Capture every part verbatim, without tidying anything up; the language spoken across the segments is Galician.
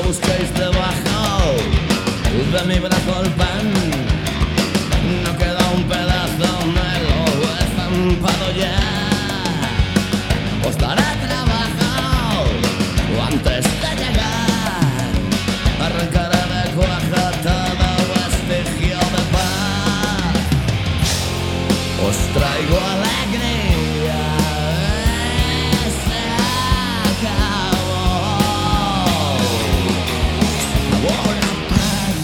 busquéis debajo de mi brazo el pan. No queda un pedazo, me lo he estampado ya. Os daré trabajo antes de llegar. Arrancaré de cuaja todo vestigio de paz. Os traigo alegría. Se acabó. Sabor a paz.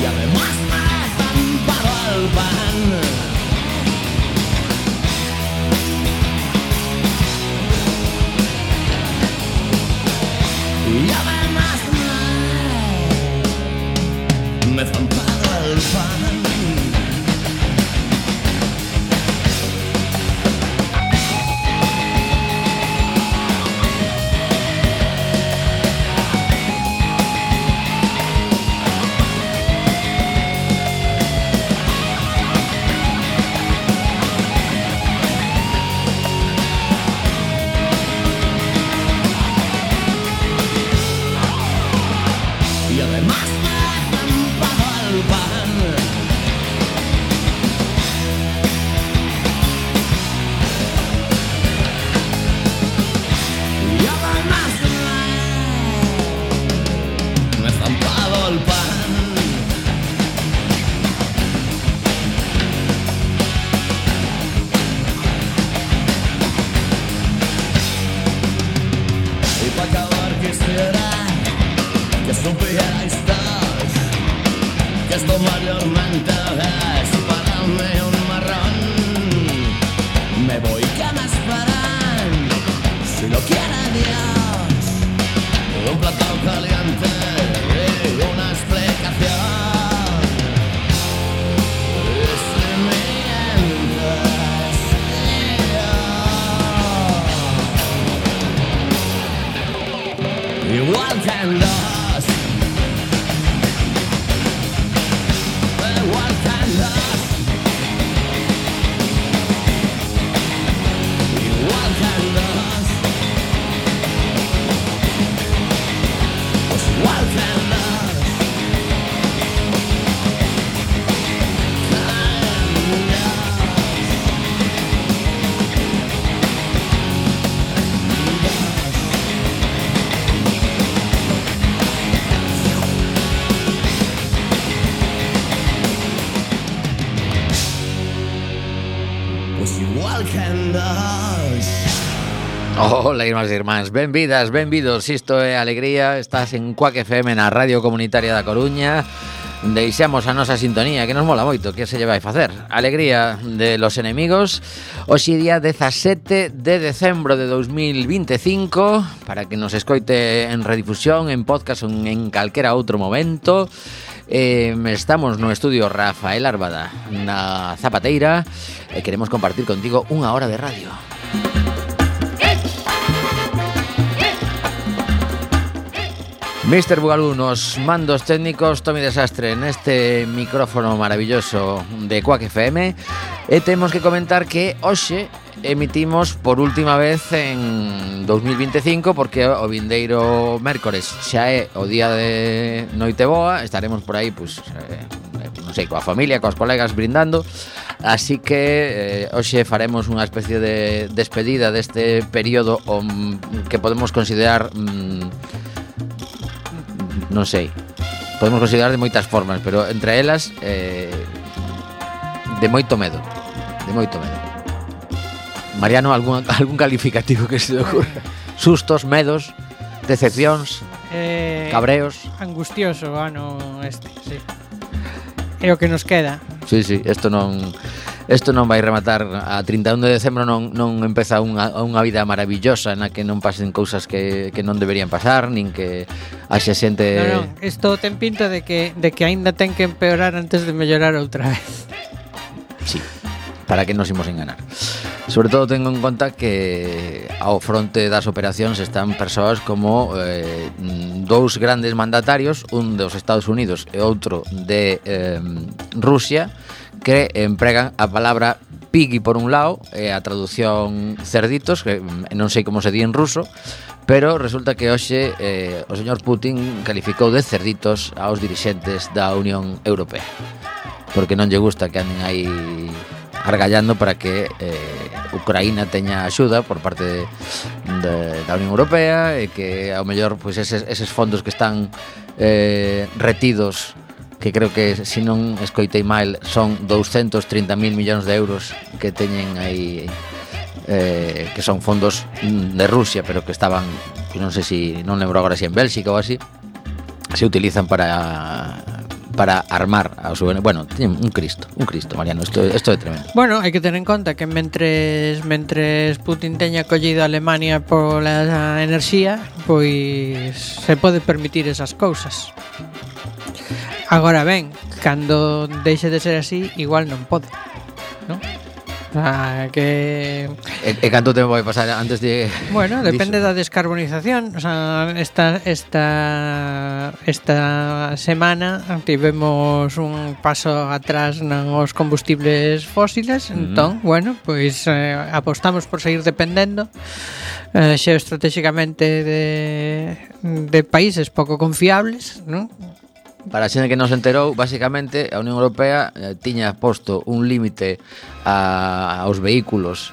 Y además me he estampado el pan. Y además me, me he estampado el pan. Y además me he estampado el pan. Y además me, me he estampado el pan. Y para acabar quisiera que supierais todos que esto mayormente es para mí un marrón. Me voy, que me esperan, si lo quiere Dios, un plato caliente y una explicación. Y si mientes, yo, igual que en los igual que en los igual que en los pues igual que en los pues igual que en los. Ola, irmás e irmáns, benvidas, benvidos. Isto é Alegría, estás en Cuac F M na Radio Comunitaria da Coruña. Deixamos a nosa sintonía, que nos mola moito, que se lle vai facer. Alegría de los enemigos. Hoxe día dezasete de decembro de dos mil vinte e cinco, para que nos escoite en redifusión, en podcast ou en calquera outro momento. Eh, estamos no estudio Rafael Árbada na Zapateira e queremos compartir contigo unha hora de radio. mister Bugalú nos mandos técnicos, Tomi Desastre neste micrófono maravilloso de Cuac F M. E temos que comentar que hoxe emitimos por última vez en dos mil vinte e cinco, porque o vindeiro mércores xa é o día de Noiteboa. Estaremos por aí, pues, eh, non sei, coa familia, coas colegas brindando. Así que eh, hoxe faremos unha especie de despedida deste período um, que podemos considerar... Um, non sei, podemos considerar de moitas formas, pero entre elas eh, de moito medo, de moito medo. Mariano, algún, algún calificativo que se te ocurra? Sustos, medos, decepcións, eh, cabreos. Angustioso ano este, sí. É o que nos queda. Sí, sí, isto non isto non vai rematar a trinta e un de decembro, non, non empeza unha, unha vida maravillosa na que non pasen cousas que, que non deberían pasar, nin que haxa xente... Non, non, isto ten pinta de que, de que aínda ten que empeorar antes de mellorar outra vez. Sí, para que nos imos enganar. Sobre todo tengo en conta que ao fronte das operacións están persoas como eh, dous grandes mandatarios, un dos Estados Unidos e outro de eh, Rusia, que empregan a palabra piggy por un lado, e a traducción cerditos, que non sei como se di en ruso, pero resulta que hoxe eh, o señor Putin calificou de cerditos aos dirixentes da Unión Europea, porque non lle gusta que anden aí argallando para que eh, Ucraína teña axuda por parte de, de, da Unión Europea, e que ao mellor pois, eses, eses fondos que están eh, retidos, que creo que, se non escoitei mal, son doscientos treinta mil millóns de euros que teñen aí, eh, que son fondos de Rusia, pero que estaban, que non sei si, non lembro agora se en Bélxica ou así, se utilizan para para armar a su... Bueno, un Cristo, un Cristo, Mariano, isto, isto é tremendo. Bueno, hai que ter en conta que mentres mentres Putin teña collido a Alemania pola enerxía, pois se pode permitir esas cousas. Agora ben, cando deixe de ser así, igual non pode, non? O sea, que... E, e canto tempo vai pasar antes de... Bueno, depende da descarbonización. O sea, esta, esta, esta semana tivemos un paso atrás nos combustibles fósiles. Uh-huh. Entón, bueno, pois eh, apostamos por seguir dependendo eh, xeoestratégicamente de, de países pouco confiables, non? Para a xente que non se enterou, basicamente a Unión Europea eh, tiña posto un límite a, aos vehículos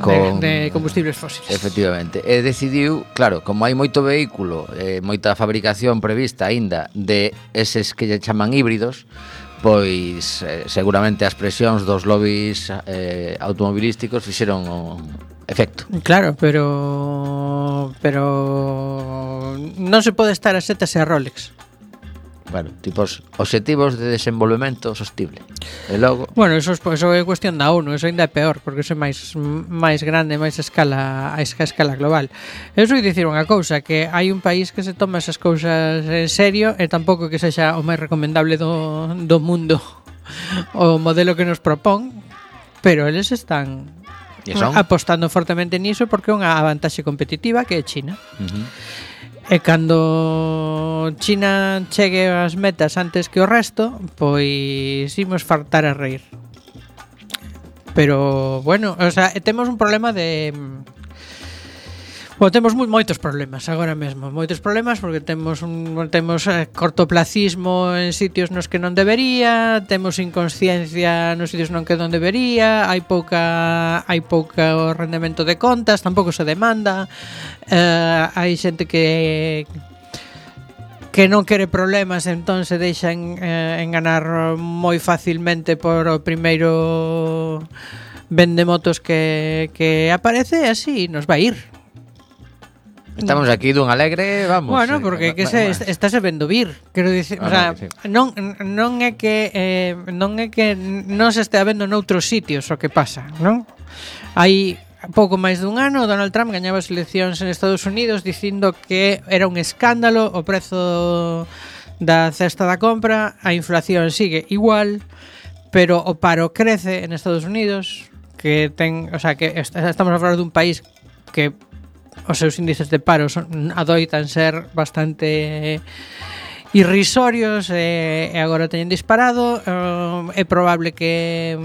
con de, de combustibles fósiles. Efectivamente. E decidiu, claro, como hai moito vehículo, eh, moita fabricación prevista aínda de eses que lle chaman híbridos, pois eh, seguramente as presións dos lobbies eh, automobilísticos fixeron o efecto. Claro, pero pero non se pode estar a setas e a Rolex. Bueno, tipos obxectivos de desenvolvemento sostible. E logo... Bueno, eso, eso é cuestión da ONU, eso ainda é peor, porque eso é máis máis grande, máis a escala a escala global. Eu só dicir unha cousa, que hai un país que se toma esas cousas en serio e tampouco que sexa o máis recomendable do, do mundo o modelo que nos propón, pero eles están apostando fortemente niso porque é unha vantaxe competitiva que é China. Uh-huh. E cando China chegue ás metas antes que o resto, pois imos fartar a reír. Pero, bueno, o sea, temos un problema de... Bueno, temos moi, moitos problemas agora mesmo, moitos problemas porque temos un temos eh, cortoplacismo en sitios nos que non debería, temos inconsciencia nos sitios non que non debería, hai pouca hai pouca o rendemento de contas, tampouco se demanda, eh, hai xente que que non quere problemas, entón se deixan eh, enganar moi facilmente por o primeiro vendemotos que, que aparece, e así nos vai ir. Estamos aquí dun alegre, vamos. Bueno, porque eh, que se est- estáse vendo vir, quero dicir, ah, o sea, no, sí. non non é que eh, non é que non se estea vendo noutros sitios o que pasa, non? Hai pouco máis dun ano Donald Trump gañaba as eleccións en Estados Unidos dicindo que era un escándalo o prezo da cesta da compra, a inflación sigue igual, pero o paro crece en Estados Unidos, que ten, o sea, que est- estamos a falar dun país que os seus índices de paro son, adoitan ser bastante irrisorios e, e agora teñen disparado. Uh, é probable que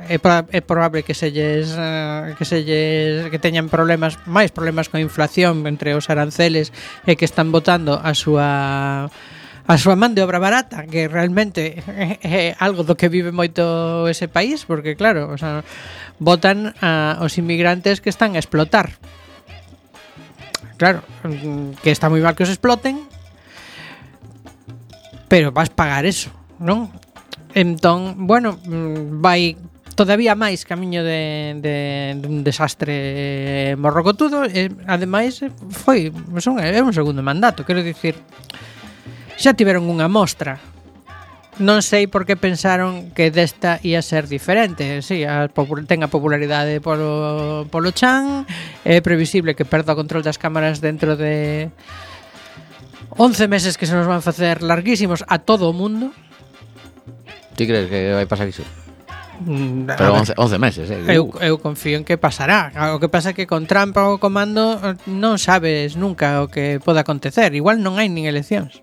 é, pro, é probable que selles uh, que selles que teñan problemas, máis problemas coa inflación entre os aranceles e que están botando a súa a súa man de obra barata, que realmente é, é algo do que vive moito ese país, porque claro, o sea, botan a os inmigrantes que están a explotar. Claro, que está moi mal que os exploten, pero vas pagar eso, non? Entón, bueno, vai todavía máis camiño de, de, de un desastre morrocotudo. E, ademais, foi son, é un segundo mandato, quero dicir, xa tiveron unha mostra. Non sei por que pensaron que desta ia ser diferente. Si, sí, a, ten a popularidade polo, polo chan. É previsible que perda o control das cámaras dentro de once meses, que se nos van facer larguísimos a todo o mundo. Ti crees que vai pasar iso? Mm, Pero once, once meses, eh? Eu, eu confío en que pasará. O que pasa é que con Trump ao comando non sabes nunca o que pode acontecer. Igual non hai nin eleccións.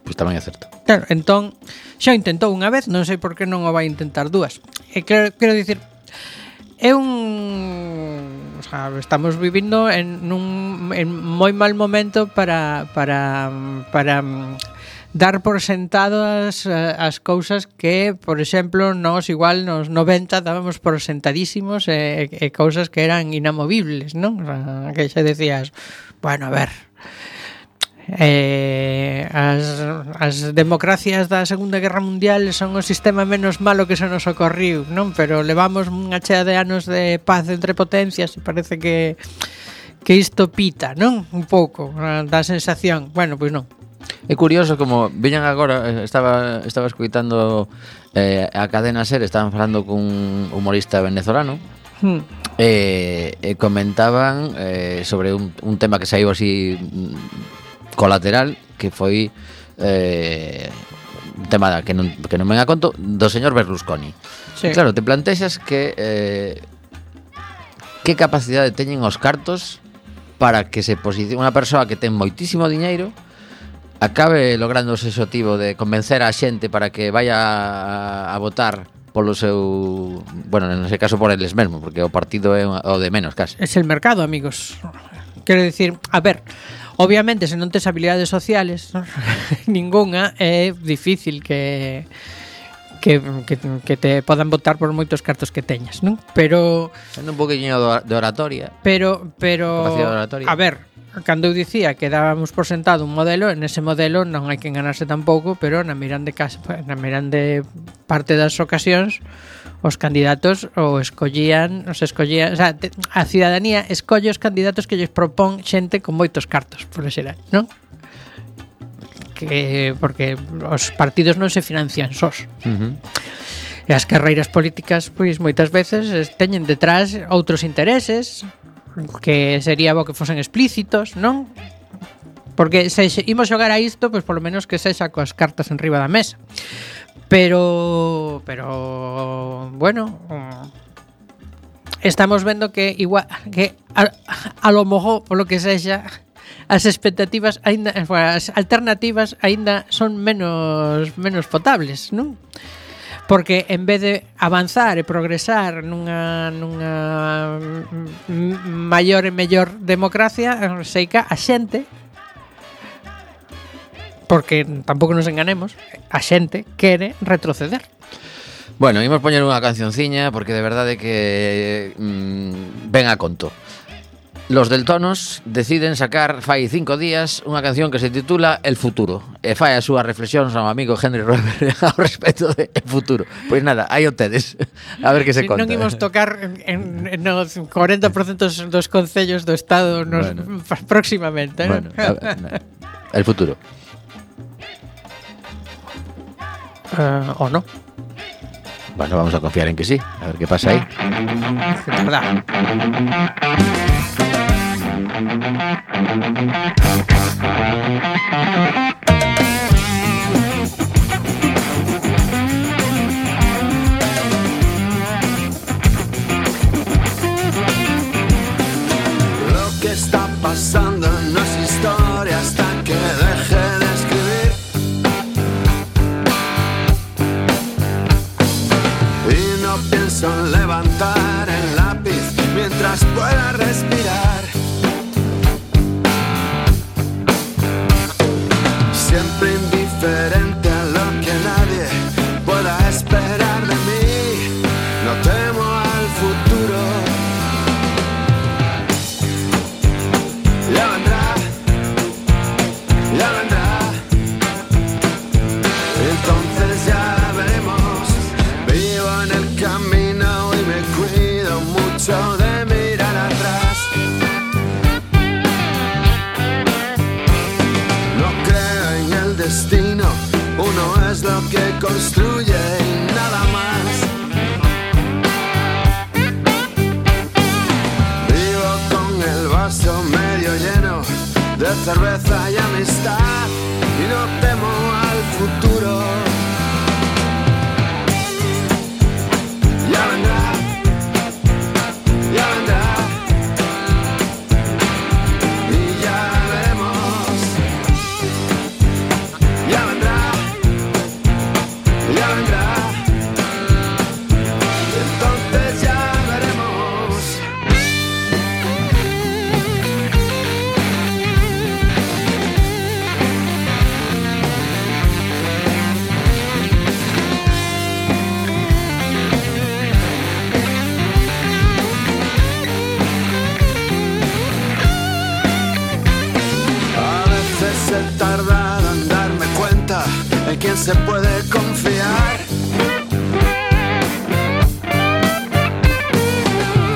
Pois tamén é certo. Claro, entón xa o intentou unha vez, non sei por que non o vai intentar dúas. E quero, quero dicir, é un, o sea, estamos vivindo en un en moi mal momento para para para dar por sentadas as cousas que, por exemplo, nós igual nos noventa dábamos por sentadísimos e, e cousas que eran inamovibles, non? O sea, que xa decías, bueno, a ver, Eh, as, as democracias da Segunda Guerra Mundial son o sistema menos malo que se nos ocorriu, non? Pero levamos unha chea de anos de paz entre potencias e parece que que isto pita, non? Un pouco, da sensación. Bueno, pois non. É curioso como viñan agora, estaba estaba escoitando eh, a cadena SER, estaban falando cun humorista venezolano. Hmm. E, e comentaban eh, sobre un, un tema que saiu así colateral, que foi eh, un tema que non, que non me a conto do señor Berlusconi. Sí. Claro, te plantexas que eh, que capacidade teñen os cartos para que se posicione unha persoa que ten moitísimo diñeiro acabe logrando ese objetivo de convencer a xente para que vaya a, a votar polo seu, bueno, nese caso por eles mesmos, porque o partido é o de menos casi. Es el mercado, amigos. Quero dicir, a ver, obviamente, se non tes habilidades sociales, ¿no? Ninguna, é difícil que, que, que, que te podan votar por moitos cartos que teñas, non? Pero sendo un poquinho de oratoria. Pero, pero oratoria. A ver, cando eu dicía que dábamos por sentado un modelo, en ese modelo non hai que enganarse tampouco, pero na mirande casa, na mirande parte das ocasións, os candidatos o escollían, os escollían, o sea, te, a cidadanía escolle os candidatos que lles propón xente con moitos cartos, por xeral, non? Que porque os partidos non se financian sós. Uh-huh. E as carreiras políticas, pois moitas veces teñen detrás outros intereses que sería bo que fosen explícitos, non? Porque se imos xogar a isto, pois polo menos que sexa coas cartas enriba da mesa. Pero, pero bueno, estamos vendo que igual que a, a lo mejor polo que sexa as expectativas aínda, as alternativas aínda son menos menos potables, non? Porque en vez de avanzar e progresar nunha nunha maior e mellor democracia, seica a xente, porque tampouco nos enganemos, a xente quere retroceder. Bueno, imos poñer unha cancionciña porque de verdade que mmm, ven a conto. Los Deltonos deciden sacar fai cinco días unha canción que se titula El Futuro e fai as súas reflexións ao amigo Henry Roeber ao respecto de El Futuro. Pois nada, aí o tedes. A ver que se conta. Non imos tocar en, en nos corenta por ciento dos concellos do Estado nos, bueno, próximamente, bueno, a ver, El Futuro. Uh, o no. Bueno, vamos a confiar en que sí. A ver qué pasa ahí. De verdad. Lo que está pasando no es historia hasta que deje de escribir. Y no pienso en levantar el lápiz mientras pueda respirar. Siempre indiferente a lo que nadie pueda esperar de mí. No temo al futuro. Ya vendrá, ya vendrá. Entonces ya veremos. Vivo en el camino y me cuido mucho de mirar atrás. No creo en el destino, uno es lo que construye y nada más. Vivo con el vaso medio lleno de cerveza y amistad y no temo al futuro. Ya vendrá, ya vendrá y ya veremos. Ya vendrá, quién se puede confiar.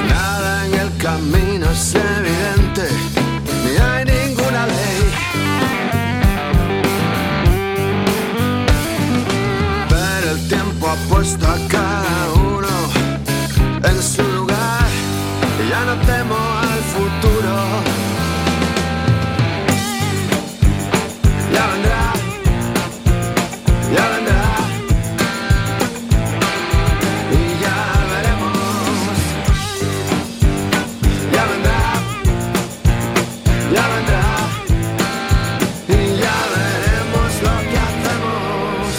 Nada en el camino es evidente, ni hay ninguna ley. Pero el tiempo ha puesto a cada uno en su lugar y ya no temo al futuro. Ya vendrá, ya vendrá, y ya veremos. Ya vendrá, ya vendrá, y ya veremos lo que hacemos.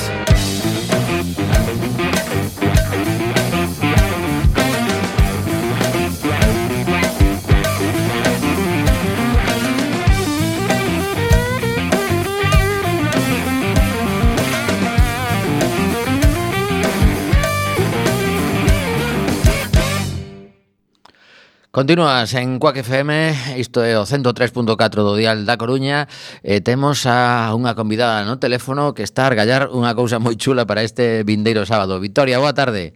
Continúas en Quack F M, isto é o ciento tres punto catro do dial da Coruña. E temos a unha convidada no teléfono que está a argallar unha cousa moi chula para este vindeiro sábado. Victoria, boa tarde.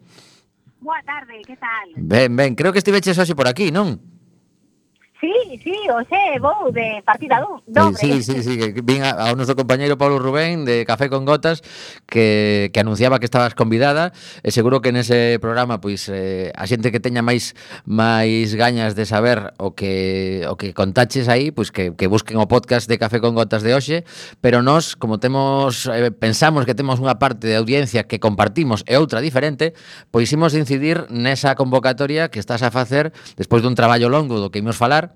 Boa tarde, que tal? Ben, ben, creo que estiveches hoxe por aquí, non? Sí, sí, hoxe vou de partida do, dobre. Sí, sí, sí, que vin ao noso compañeiro Pablo Rubén de Café con Gotas que, que anunciaba que estabas convidada e seguro que nese programa pois eh, a xente que teña máis máis gañas de saber o que o que contaches aí, pois que, que busquen o podcast de Café con Gotas de hoxe, pero nós, como temos eh, pensamos que temos unha parte de audiencia que compartimos e outra diferente, pois imos incidir nesa convocatoria que estás a facer despois dun traballo longo do que imos falar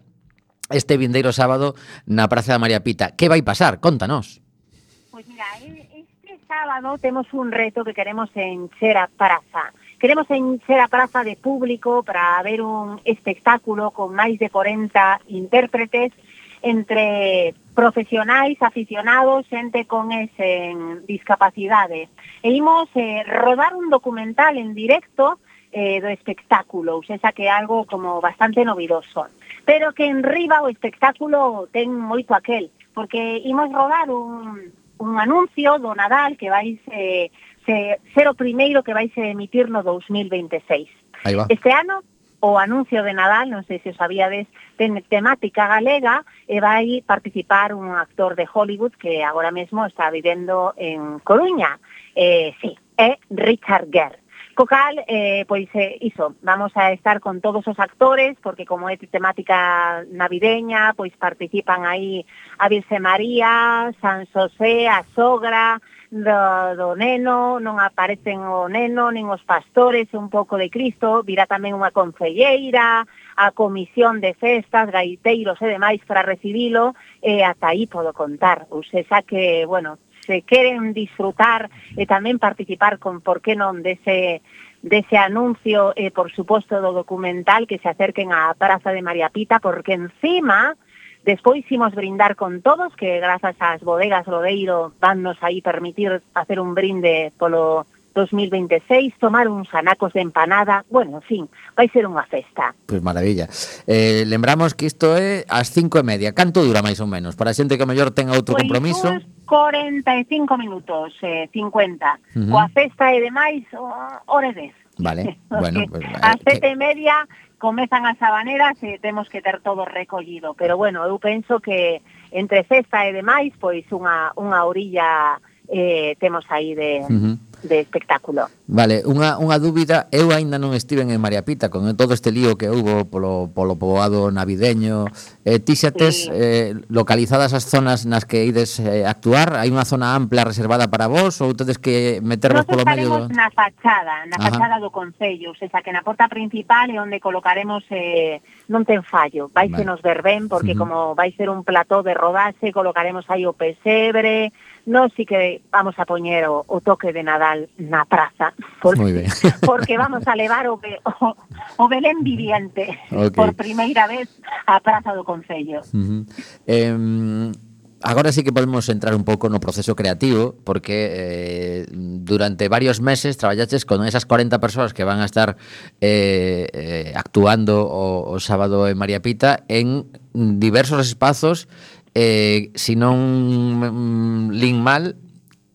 este vindeiro sábado na Praza da María Pita. Que vai pasar? Contanos. Pois mira, este sábado temos un reto que queremos encher a praza. Queremos encher a praza de público para ver un espectáculo con máis de cuarenta intérpretes entre profesionais, aficionados, xente con ese discapacidade. E imos eh, rodar un documental en directo eh, do espectáculo, ou seja que é algo como bastante novidoso. Pero que en riba o espectáculo ten moito aquel, porque imos rodar un, un anuncio do Nadal que vai se, se, ser o primeiro que vai se emitir no dos mil veintiséis. Aí va. Este ano o anuncio de Nadal, non sei se o sabíades, ten temática galega e vai participar un actor de Hollywood que agora mesmo está vivendo en Coruña. Eh, sí, é Richard Gere. Co cal, eh, pois, eh, iso, vamos a estar con todos os actores, porque como é temática navideña, pois participan aí a Virxe María, San Xosé, a sogra do, do neno, non aparecen o neno, nin os pastores, un pouco de Cristo, virá tamén unha concelleira, a comisión de festas, gaiteiros e demais para recibilo, e ata aí podo contar. Ou seja que, bueno, se queren disfrutar e tamén participar con, por que non, dese, dese anuncio e, por suposto, do documental, que se acerquen á Praza de María Pita, porque encima, despois imos brindar con todos, que grazas ás bodegas Lodeiro vannos aí permitir hacer un brinde polo dos mil veintiséis, tomar uns anacos de empanada, bueno, en fin, vai ser unha festa. Pois maravilla. Eh, lembramos que isto é ás cinco e media. Canto dura máis ou menos? Para a xente que a mellor ten outro pois compromiso. Pois cuarenta e cinco minutos, eh, cincuenta. Uh-huh. Coa festa e demais, hora e dez. Vale, bueno. Pues, eh, ás sete que... e media comezan as habaneras e temos que ter todo recollido. Pero bueno, eu penso que entre festa e demais, pois unha, unha orilla eh, temos aí de... Uh-huh. de espectáculo. Vale, unha, unha dúbida, eu aínda non estiven en María Pita con todo este lío que houbo polo, polo poboado navideño. Eh, ti xa tes sí. eh, localizadas as zonas nas que ides eh, actuar? Hai unha zona ampla reservada para vos ou tedes que metervos polo medio? Nos estaremos na fachada, na Ajá. fachada do Concello, o sea, que na porta principal é onde colocaremos, eh, non ten fallo, vai vale. se nos ver ben, porque uh-huh. como vai ser un plató de rodaxe, colocaremos aí o pesebre, non si que vamos a poñer o, o toque de Nadal na praza, porque, porque vamos a levar o, o, o Belén viviente okay. por primeira vez á praza do Concello. Uh-huh. eh, agora sí que podemos entrar un pouco no proceso creativo, porque eh, durante varios meses traballaches con esas cuarenta persoas que van a estar eh, eh, actuando o, o sábado en María Pita en diversos espazos. Eh, si non mm, lin mal,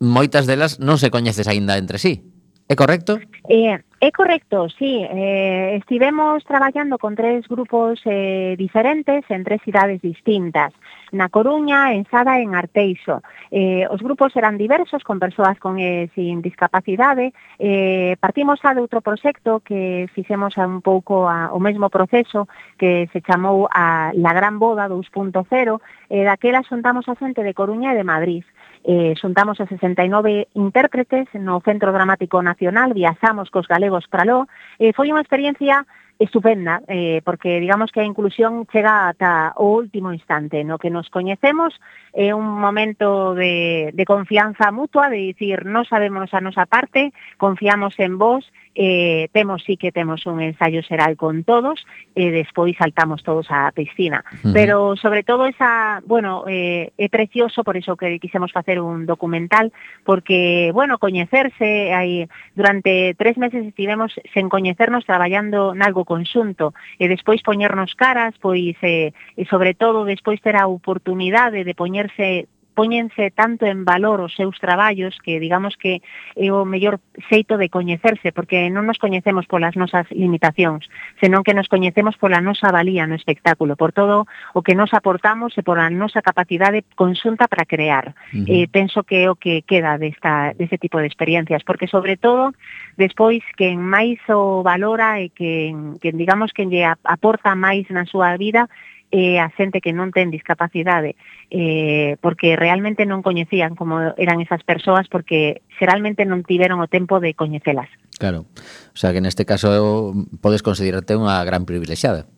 moitas delas non se coñeces aínda entre sí. É correcto? Eh, é correcto, sí. Eh, estivemos traballando con tres grupos eh, diferentes en tres cidades distintas. Na Coruña, en Sada e en Arteixo. Eh, os grupos eran diversos, con persoas con e sin discapacidade. Eh, partimos a de outro proxecto que fixemos un pouco a, o mesmo proceso que se chamou a La Gran Boda dos punto cero. Eh, daquela xuntamos a xente de Coruña e de Madrid. Eh, xuntamos a sesenta e nove intérpretes no Centro Dramático Nacional, viaxamos cos galegos para lo, eh, foi unha experiencia estupenda, eh, porque digamos que a inclusión chega ata o último instante, no que nos coñecemos, é eh, un momento de, de confianza mutua, de dicir, non sabemos a nosa parte, confiamos en vos, eh, temos sí que temos un ensayo xeral con todos, e eh, despois saltamos todos á piscina. Uh-huh. Pero sobre todo esa, bueno, eh, é precioso, por iso que quixemos facer un documental, porque, bueno, coñecerse, hai, durante tres meses estivemos sen coñecernos traballando nalgo conxunto e despois poñernos caras, pois eh, e sobre todo despois ter a oportunidade de poñerse póñense tanto en valor os seus traballos que digamos que é o mellor xeito de coñecerse, porque non nos coñecemos polas nosas limitacións, senón que nos coñecemos pola nosa valía no espectáculo, por todo o que nos aportamos e pola nosa capacidade conxunta para crear. Uh-huh. Eh, penso que é o que queda desta, deste tipo de experiencias, porque sobre todo, despois, quen máis o valora e que, que digamos que lle aporta máis na súa vida eh, a xente que non ten discapacidade, eh, porque realmente non coñecían como eran esas persoas, porque xeralmente non tiveron o tempo de coñecelas. Claro, o sea que neste caso podes considerarte unha gran privilexiada.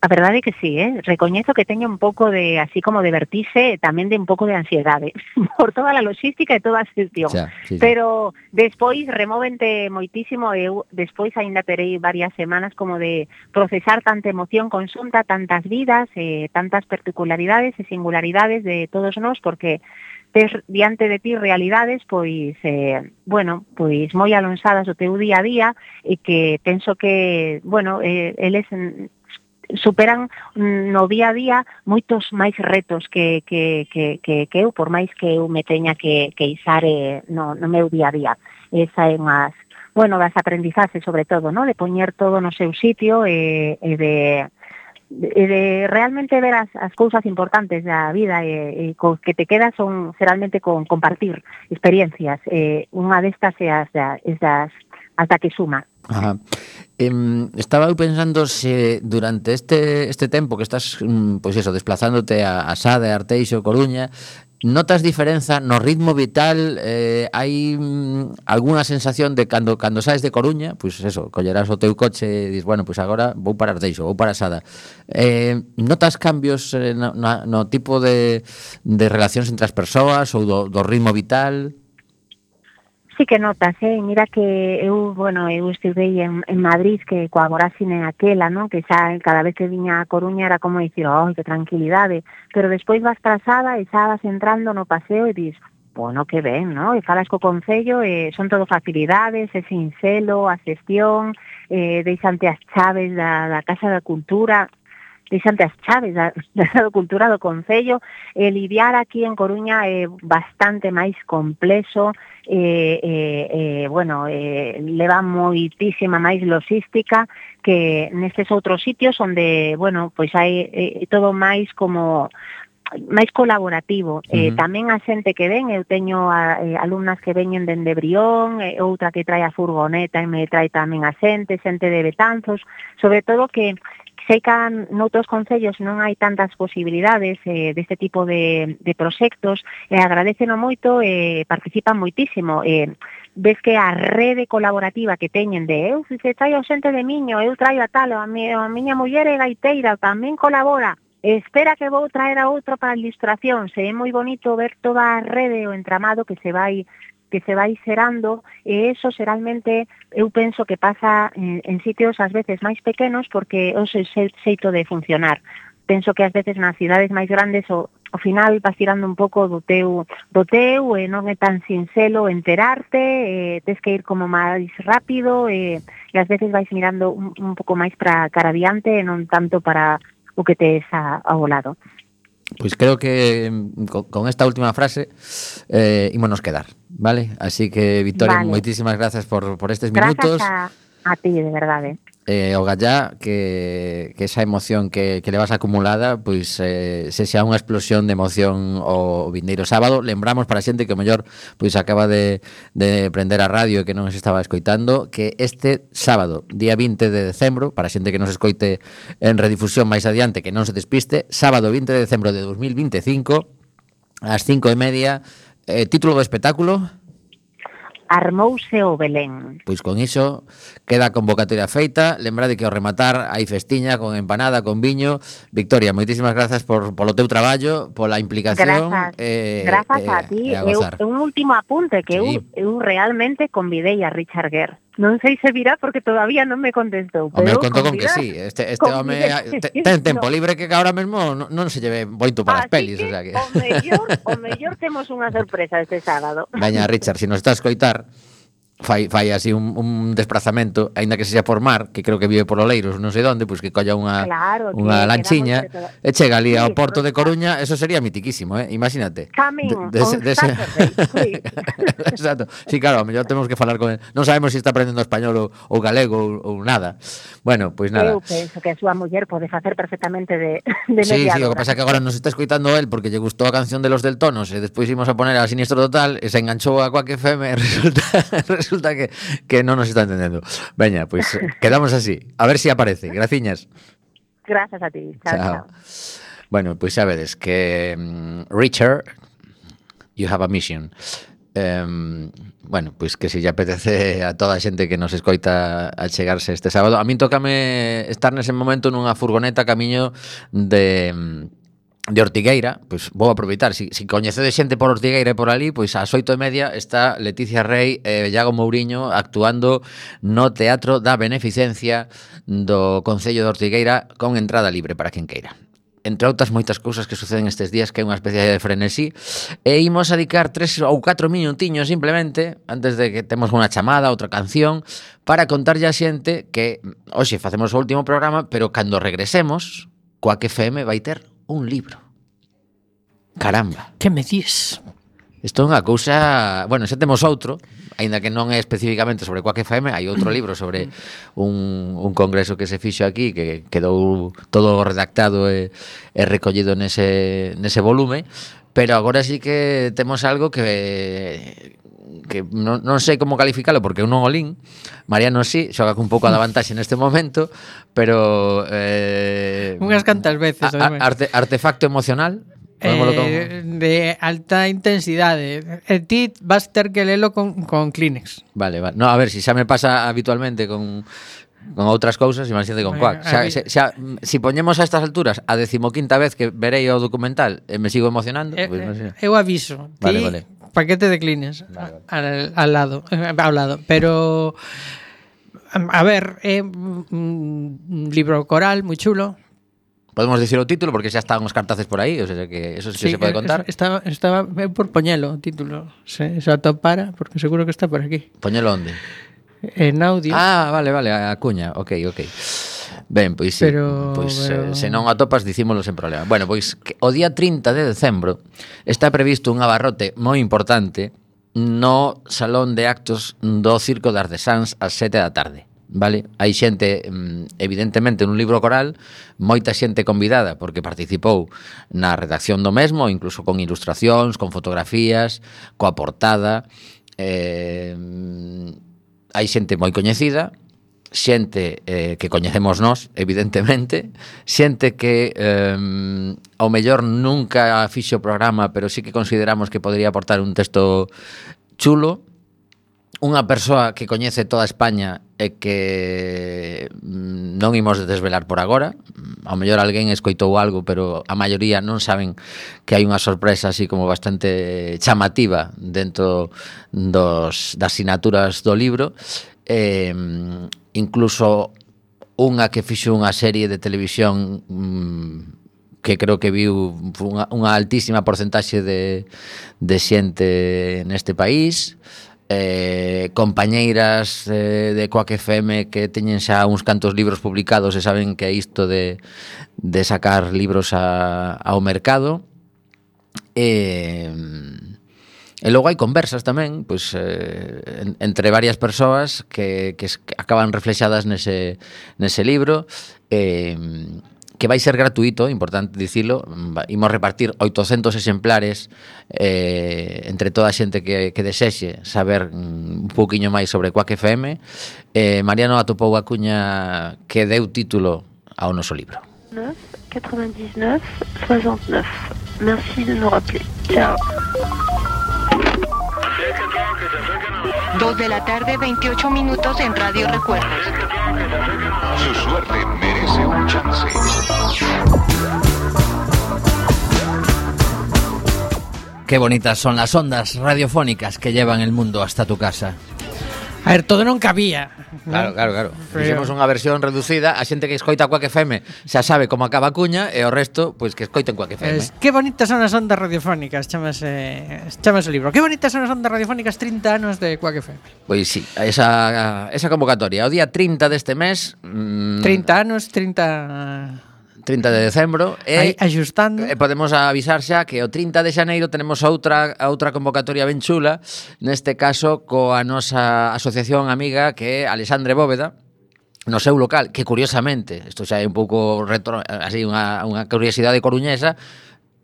A verdade é que sí, eh? Recoñezo que teño un pouco de, así como de vertixe, tamén de un pouco de ansiedade, por toda a logística e toda a xestión. Xa, sí, sí. Pero despois removente moitísimo, eu despois aínda terei varias semanas como de procesar tanta emoción conxunta, tantas vidas, eh, tantas particularidades e singularidades de todos nós, porque ter diante de ti realidades, pois, eh, bueno, pois moi alonsadas do teu día a día, e que penso que, bueno, eh, eles superan no día a día moitos máis retos que, que, que, que, que eu, por máis que eu me teña que, que isar eh, no, no meu día a día. Esa é unhas, bueno, das aprendizaxes sobre todo, ¿no? De poñer todo no seu sitio e, e de e de realmente ver as, as cousas importantes da vida e, e co que te quedas son realmente con compartir experiencias. Eh, unha destas é as, as das hasta que suma. Ajá. Eh, estaba eu pensando se durante este este tempo que estás, pois eso, desplazándote a, a Sada, a Arteixo, Coruña, notas diferenza no ritmo vital? Eh, hai mm, algunha sensación de cando cando saes de Coruña, pois eso, collerás o teu coche e dis, bueno, pois agora vou para Arteixo, vou para Sada. Eh, notas cambios eh, no, no tipo de, de relacións entre as persoas ou do, do ritmo vital? Sí que notas, eh? Mira que eu, bueno, eu estudei en, en Madrid, que coa Gorásine aquela, ¿no? Que xa cada vez que viña a Coruña era como dicir, oh, que tranquilidade, pero despois vas trazada e xa vas entrando no paseo e dis, bueno, que ben, ¿no? E falas co Concello, e son todo facilidades, é sinxelo, a xestión, eh, deixante as chaves da, da Casa da Cultura, deixante as chaves da, da Cultura do Concello, e lidiar aquí en Coruña é bastante máis complexo, eh, eh, eh, bueno, eh, leva moitísima máis logística que nestes outros sitios onde, bueno, pois hai eh, todo máis como máis colaborativo. Uh-huh. Eh, tamén a xente que ven, eu teño a, eh, alumnas que veñen dende Brión, eh, outra que trae a furgoneta e me trae tamén a xente, xente de Betanzos, sobre todo que sei que noutros concellos non hai tantas posibilidades eh, deste tipo de, de proxectos, e eh, agradeceno moito e eh, participan moitísimo. Eh, ves que a rede colaborativa que teñen de eu, se traio xente de Miño, eu traio a tal, a, mi, a miña muller é gaiteira, tamén colabora, espera que vou traer a outro para a ilustración. Se é moi bonito ver toda a rede, o entramado que se vai que se vai xerando, e eso xeralmente eu penso que pasa en, en sitios ás veces máis pequenos, porque é o xeito de funcionar. Penso que ás veces nas cidades máis grandes o, ao final vas tirando un pouco do teu, do teu e non é tan sinxelo enterarte, e tes que ir como máis rápido, e, e ás veces vais mirando un, un pouco máis para cara adiante e non tanto para o que tes a, ao lado. Pois creo que con, con esta última frase eh, ímonos quedar, vale? Así que, Victoria, Vale. moitísimas gracias por, por estes Grazas minutos. a, a ti, de verdade. Eh, o gallá que, que esa emoción que, que le vas acumulada pois eh, se xa unha explosión de emoción o vindeiro sábado. Lembramos para a xente que o mellor pois acaba de, de prender a radio e que non se estaba escoitando, que este sábado, día vinte de decembro, para a xente que nos escoite en redifusión máis adiante, que non se despiste, sábado vinte de decembro de dos mil veinticinco ás cinco e media, eh, título do espectáculo. Armouse o Belén. Pois con iso queda a convocatoria feita. Lembrade que ao rematar hai festiña con empanada, con viño. Victoria, moitísimas grazas por polo teu traballo, pola implicación. Grazas, eh, grazas eh, a ti. e a Eu, gozar. un último apunte que Sí. eu, eu realmente convidei a Richard Gere. Non sei se virá porque todavía non me contestou. O meu pero conto con que convidar- sí. Este, este home convidei- te- ten tempo No. libre que ahora mesmo non, non se lleve moito para as Así pelis, que, o sea que. o mellor, o mellor temos unha sorpresa este sábado. Veña, Richard, se nos está a escoitar, fai, fai así un, un desplazamento, aínda que sexa por mar, que creo que vive por Oleiros, non sei onde, pois que colla unha Claro, que unha quedamos lanchiña entre todas. e chega ali Sí, ao porto por de Coruña. Eso sería mitiquísimo, eh? Imagínate. Coming De- on Saturday, sí. Exacto. Sí, claro, a mellor temos que falar con él. Non sabemos se está aprendendo español ou, ou galego ou, ou nada. Bueno, pois nada. Eu penso que a súa muller pode facer perfectamente de, de Sí, sí, mediadora. o que pasa é que agora nos está escoitando él porque lle gustou a canción de Los Deltonos e despois imos a poner a Sinistro Total e se enganchou a Quack F M e resulta, resulta que, que non nos está entendendo. Veña, pois quedamos así. A ver se si aparece. Graciñas. Grazas a ti. Chao, chao. Bueno, pois xa vedes que um, Richard, you have a mission. Um, bueno, pois que se lle apetece a toda a xente que nos escoita a chegarse este sábado. A min tócame estar nese momento nunha furgoneta camiño de de Ortigueira. Pois vou aproveitar, si, si coñecedes xente por Ortigueira e por ali, pois ás oito e media está Leticia Rey e Iago Mouriño actuando no Teatro da Beneficencia do Concello de Ortigueira con entrada libre para quen queira. Entre outras moitas cousas que suceden estes días, que é unha especie de frenesí, e imos a dedicar tres ou catro minutiños simplemente, antes de que temos unha chamada, outra canción, para contarlle a xente que hoxe facemos o último programa, pero cando regresemos, Quack F M vai ter un libro. Caramba. Que me dis? Isto é unha cousa... Bueno, xa temos outro, aínda que non é especificamente sobre Quack F M, hai outro libro sobre un, un congreso que se fixo aquí, que quedou todo redactado e, e recollido nese, nese volume, pero agora sí que temos algo que que non, non sei como calificalo porque eu non o lín. Mariano sí, xoga un pouco a da vantaxe neste momento, pero eh, Unhas cantas veces, a, a, ademais. arte, artefacto emocional. Podémolo con... Eh, de alta intensidade. E ti vas ter que lelo con, con Kleenex. Vale, vale. No, a ver, si xa me pasa habitualmente con con outras cousas, imagínate con Quack. Xa, xa, xa, si poñemos a estas alturas a decimoquinta vez que verei o documental e me sigo emocionando, Eh, pois, pues, eu aviso. Ti, Vale, vale. paquete de Kleenex Vale, vale. al, al lado, eh, ao lado. Pero, a ver, é un libro coral moi chulo. podemos dicir o título porque xa están os cartaces por aí, o sea que eso sí, sí se pode contar. Estaba, estaba eu por poñelo o título. Se, se atopara, porque seguro que está por aquí. Poñelo onde? En audio. Ah, vale, vale, a cuña, ok, ok. Ben, pois sí, Pero- pois pero- eh, se non atopas dicímolo sen problema. Bueno, pois que o día trinta de decembro está previsto un abarrote moi importante no Salón de Actos do Circo de Artesáns ás sete da tarde. Vale? Hai xente, evidentemente, nun libro coral, moita xente convidada porque participou na redacción do mesmo, incluso con ilustracións, con fotografías, coa portada. Eh, hai xente moi coñecida, xente eh, que coñecemos nós, evidentemente, xente que eh, ao mellor nunca fixo o programa, pero sí que consideramos que podría aportar un texto chulo, unha persoa que coñece toda España e que mm, non imos desvelar por agora. Ao mellor alguén escoitou algo, pero a maioría non saben que hai unha sorpresa así como bastante chamativa dentro dos, das sinaturas do libro. Eh, incluso unha que fixo unha serie de televisión mm, que creo que viu unha, unha altísima porcentaxe de, de xente neste país. eh, compañeiras eh, de Quack F M que teñen xa uns cantos libros publicados e saben que é isto de, de sacar libros a, ao mercado. E, e logo hai conversas tamén, pois, eh, en, entre varias persoas que, que, que acaban reflexadas nese, nese libro, eh, que vai ser gratuito, importante dicilo. Imos repartir oitocentos exemplares eh, entre toda a xente que, que desexe saber un pouquiño máis sobre Quack F M. eh, Mariano atopou a cuña que deu título ao noso libro. neuf, quatre-vingt-dix-neuf, soixante-neuf. Merci de nous rappeler. Ciao. Dos de la tarde, veintiocho minutos en Radio Recuerdos. Su suerte merece un chance. Qué bonitas son las ondas radiofónicas que llevan el mundo hasta tu casa. A ver, todo non cabía. Claro, claro, claro. Pero... Fixemos unha versión reducida. A xente que escoita Quack F M xa sabe como acaba a cuña, e o resto, pois que escoiten Quack F M. Es, qué bonitas son as ondas radiofónicas, chamase, chamase o libro. Qué bonitas son as ondas radiofónicas, trinta anos de Quack F M. Pois sí, esa, esa convocatoria. O día trinta deste mes... Mmm, trinta anos, trinta... trinta de decembro e axustando. E podemos avisar xa que o trinta de xaneiro tenemos outra outra convocatoria ben chula, neste caso coa nosa asociación amiga que é Alexandre Bóveda, no seu local, que curiosamente, isto xa é un pouco retro, así unha, unha curiosidade coruñesa,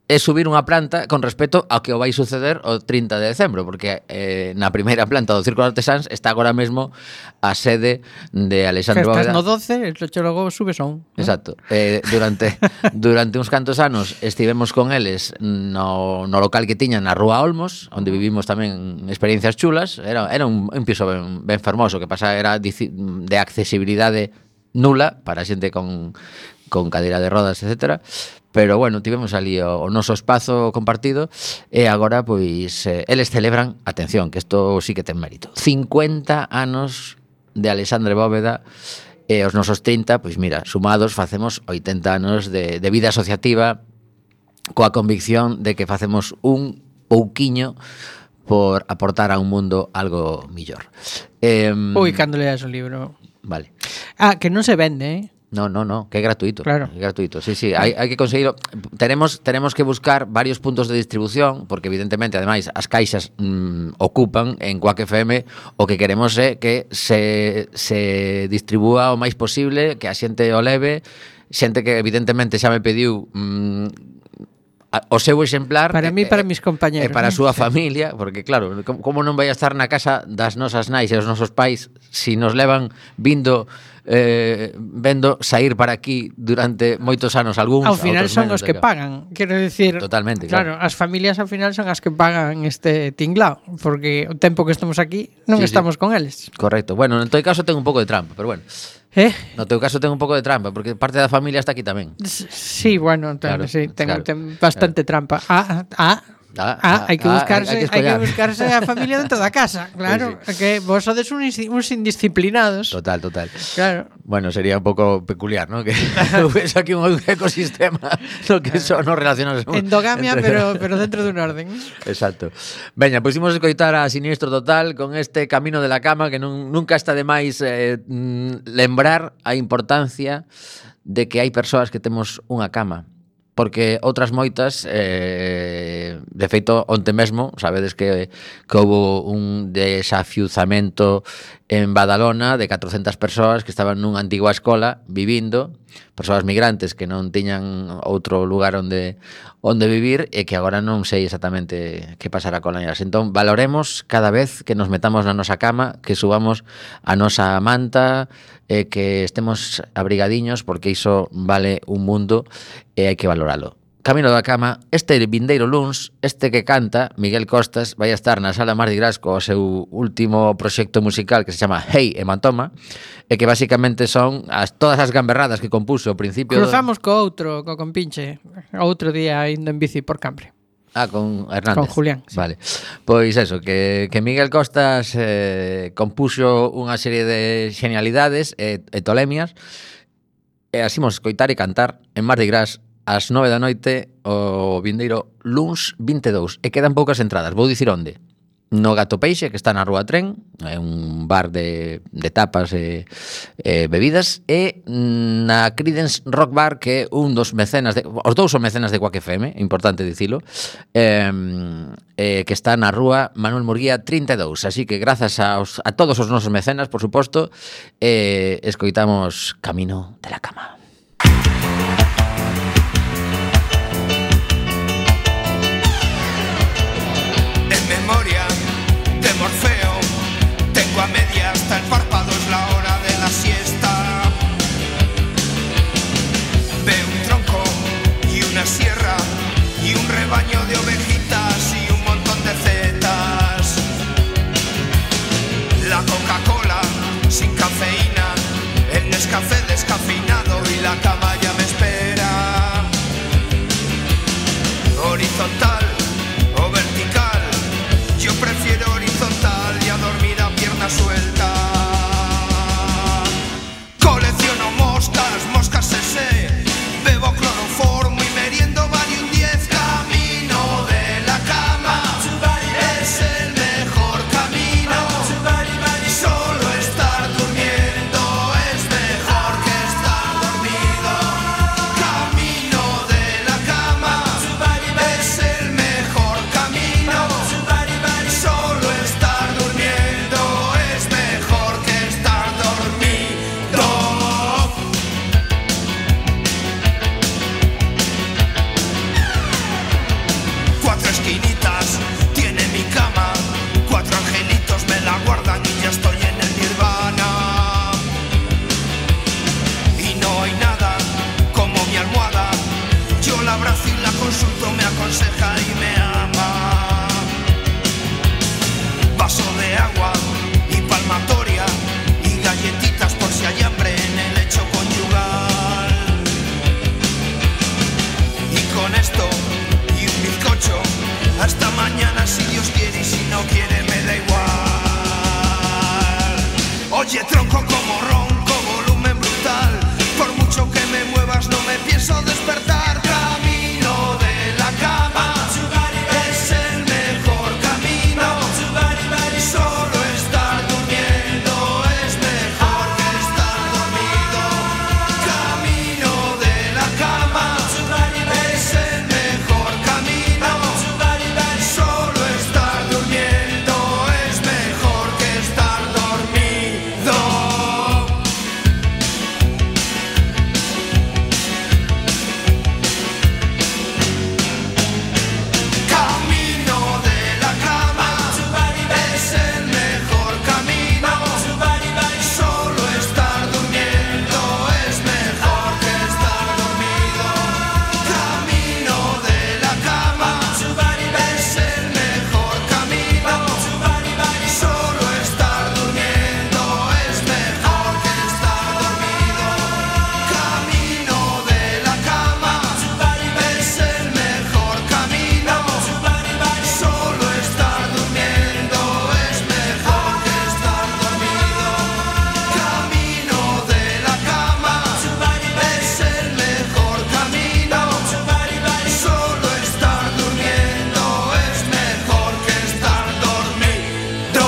é subir unha planta con respecto ao que o vai suceder o trinta de decembro, porque eh, na primeira planta do Círculo Artesáns está agora mesmo a sede de Alexandre Bóveda. Estás no doce, e logo subes a un. Exacto. Eh, durante durante uns cantos anos estivemos con eles no, no local que tiñan na Rúa Olmos, onde vivimos tamén experiencias chulas. Era, era un, un piso ben, ben fermoso, que pasa era de accesibilidade nula para xente con, con cadeira de rodas, etcétera. Pero bueno, tivemos ali o, o noso espazo compartido e agora, pois, eh, eles celebran, atención, que isto sí que ten mérito, cincuenta anos de Alexandre Bóveda, e os nosos trinta, pois mira, sumados facemos oitenta anos de, de vida asociativa, coa convicción de que facemos un pouquiño por aportar a un mundo algo millor. Eh, Ui, cando leas o libro. Vale. Ah, que non se vende, eh? No, no, no, que é gratuito. Claro. É gratuito. Sí, sí, hai, hai que conseguirlo. Tenemos tenemos que buscar varios puntos de distribución, porque evidentemente, ademais, as caixas mmm, ocupan en Quack F M. O que queremos é que se se distribúa o máis posible, que a xente o leve, xente que evidentemente xa me pediu mmm, o seu exemplar para mí, para mis compañeros, e para a súa sí. familia, porque claro, como non vai a estar na casa das nosas nais e os nosos pais si nos levan vindo eh, vendo sair para aquí durante moitos anos algúns. Ao final son os que pagan, quero dicir. Totalmente, claro. claro. As familias ao final son as que pagan este tinglao, porque o tempo que estamos aquí non sí, estamos sí. con eles. Correcto. Bueno, en todo caso ten un pouco de trampa, pero bueno. Eh? No teu caso ten un pouco de trampa, porque parte da familia está aquí tamén. Sí, bueno, ten, claro, sí, ten, claro, ten bastante claro. trampa. Ah, ah, Ah, ah, hai que buscarse, ah, hai, hai que que buscarse a familia dentro da casa, claro, pues sí. Que vos sodes uns, uns indisciplinados. Total, total. Claro. Bueno, sería un pouco peculiar, ¿no? Que hubiese aquí un ecosistema no que son no relacionados. Endogamia, entre... pero pero dentro dun orden. Exacto. Veña, pois imos escoitar a Siniestro Total con este Camino de la Cama, que non, nunca está de máis eh, lembrar a importancia de que hai persoas que temos unha cama. Porque outras moitas, eh, de feito, onte mesmo, sabedes que, que houve un desafiuzamento en Badalona de catrocentas persoas que estaban nunha antigua escola vivindo, persoas migrantes que non tiñan outro lugar onde onde vivir e que agora non sei exactamente que pasará con elas. Entón, valoremos cada vez que nos metamos na nosa cama, que subamos a nosa manta, e que estemos abrigadiños, porque iso vale un mundo e hai que valoralo. Camino da Cama, este vindeiro luns, este que canta, Miguel Costas, vai a estar na Sala Mardi Gras co seu último proxecto musical que se chama Hey Hematoma, e que basicamente son as, todas as gamberradas que compuso ao principio. Cruzamos do... co outro, co compinche, outro día indo en bici por Cambre. Ah, con Hernández. Con Julián. Sí. Vale. Pois eso, que, que Miguel Costas eh, compuxo unha serie de genialidades e, e tolemias, e así mos escoitar e cantar en Mardi Gras ás nove da noite o vindeiro luns vinte e dous, e quedan poucas entradas. Vou dicir onde. no Gato Peixe, que está na Rúa Tren, é un bar de, de tapas e eh, bebidas, e na Creedence Rock Bar, que é un dos mecenas, de, os dous son mecenas de Quack F M, importante dicilo, eh, eh, que está na Rúa Manuel Murguía trinta e dous, así que grazas aos, a todos os nosos mecenas, por suposto, eh, escoitamos Camino de la Cama. En memoria de Morfeo, tengo a media hasta el párpado, es la hora de la siesta. Veo un tronco y una sierra y un rebaño de ovejitas y un montón de zetas. La Coca-Cola sin cafeína, el Nescafé descafeinado y la cama ya me espera. Horizontal o vertical, yo prefiero horizontal y a dormir a pierna suelta. Colecciono moscas, moscas ese, bebo cloroformo y meriendo Valium diez. Camino de la cama es el mejor camino. Solo estar durmiendo es mejor que estar dormido. Camino de la cama es el mejor camino. Solo estar durmiendo es mejor que estar dormido. Cuatro esquinitas tiene mi cama, cuatro angelitos me la guardan y ya estoy en el nirvana. Y no hay nada como mi almohada, yo la abrazo y la consulto, me aconseja y me ama. Vaso de agua y palmatoria y galletitas por si hay hambre en el lecho conyugal. Y con esto y un bizcocho, hasta mañana si Dios quiere y si no quiere me da igual. Oye tronco como ronco, volumen brutal, por mucho que me muevas no me pienso despertar. Camino de la cama es el mejor camino. Solo estar durmiendo es mejor que estar dormido. Camino de la cama es el mejor camino. Solo estar durmiendo es mejor que estar dormido. Camino de la cama es el mejor camino. Solo estar durmiendo es mejor que estar dormido. Camino de la cama es el mejor camino. Solo estar durmiendo es mejor que estar dormido. Camino de la cama es el mejor camino. Solo estar durmiendo es mejor que estar dormido. Camino de la cama es el mejor camino. Solo estar durmiendo es mejor que estar dormido.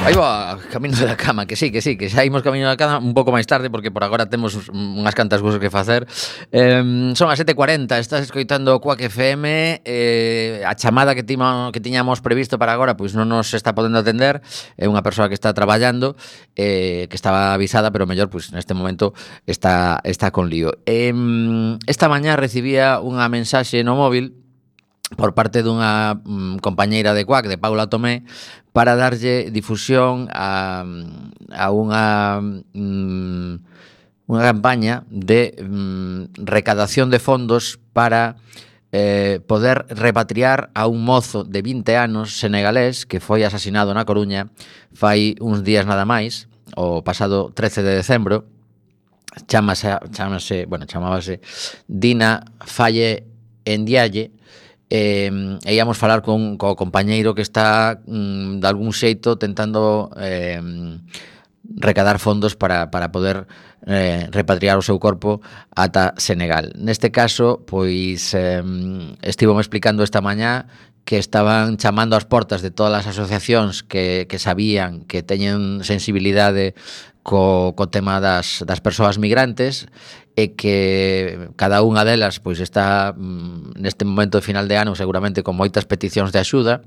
Aí va, Camino de la Cama, que sí, que sí, que xa imos Camino de la Cama un pouco máis tarde, porque por agora temos unhas cantas cousas que facer. Eh, son as sete e cuarenta, estás escoitando Quack F M, eh, a chamada que, tima, que tiñamos previsto para agora, pois non nos está podendo atender, é unha persoa que está traballando, eh, que estaba avisada, pero mellor, pois neste momento está, está con lío. Eh, esta mañá recibía unha mensaxe no móvil por parte dunha mm, compañeira de Quack, de Paula Tomé, para darlle difusión a, a unha mm, unha campaña de mm, recadación de fondos para eh, poder repatriar a un mozo de vinte anos senegalés que foi asasinado na Coruña fai uns días nada máis, o pasado trece de decembro. Chámase, chámase, bueno, chamábase Dina Faye Ndiaye. Eh, e íamos falar con co compañeiro que está mm, de algún xeito tentando eh, recadar fondos para, para poder eh, repatriar o seu corpo ata Senegal. Neste caso, pois eh, estivo me explicando esta mañá que estaban chamando ás portas de todas as asociacións que, que sabían que teñen sensibilidade co, co tema das, das persoas migrantes e que cada unha delas pois está neste momento de final de ano seguramente con moitas peticións de axuda